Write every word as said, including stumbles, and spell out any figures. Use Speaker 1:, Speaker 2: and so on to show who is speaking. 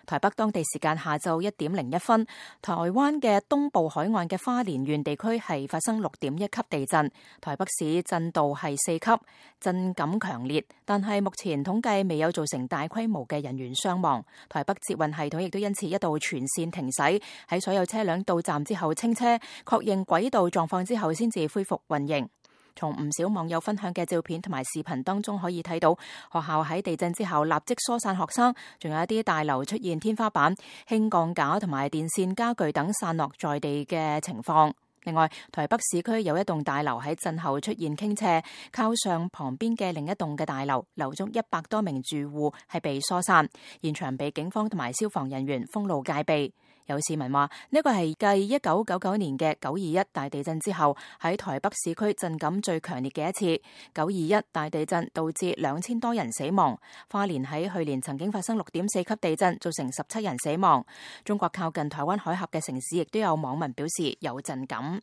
Speaker 1: 台北當地時間下晝一點零一分，台灣嘅東部海岸嘅花蓮縣地區係發生六點一級地震，台北市震度係四級，震感強烈，但係目前統計未有造成大規模嘅人員傷亡。台北捷運系統亦都因此一度全線停駛，喺所有車輛到站之後清車，確認軌道狀況之後先至恢復運營。從唔少網友分享嘅照片同埋視頻當中可以睇到，學校喺地震之後立即疏散學生，仲有一啲大樓出現天花板、輕鋼架同埋電線家具等散落在地嘅情況。另外，台北市區有一棟大樓喺震後出現傾斜，靠上旁邊嘅另一棟嘅大樓，樓中一百多名住戶係被疏散，現場被警方同埋消防人員封路戒備。有市民話呢個係繼一九九九年嘅九二一大地震之後喺台北市區震感最強烈嘅一次。九二一大地震導致兩千多人死亡，花蓮喺去年曾經發生六點四級地震，造成十七人死亡。中國靠近台灣海峽嘅城市亦都有網民表示有震感。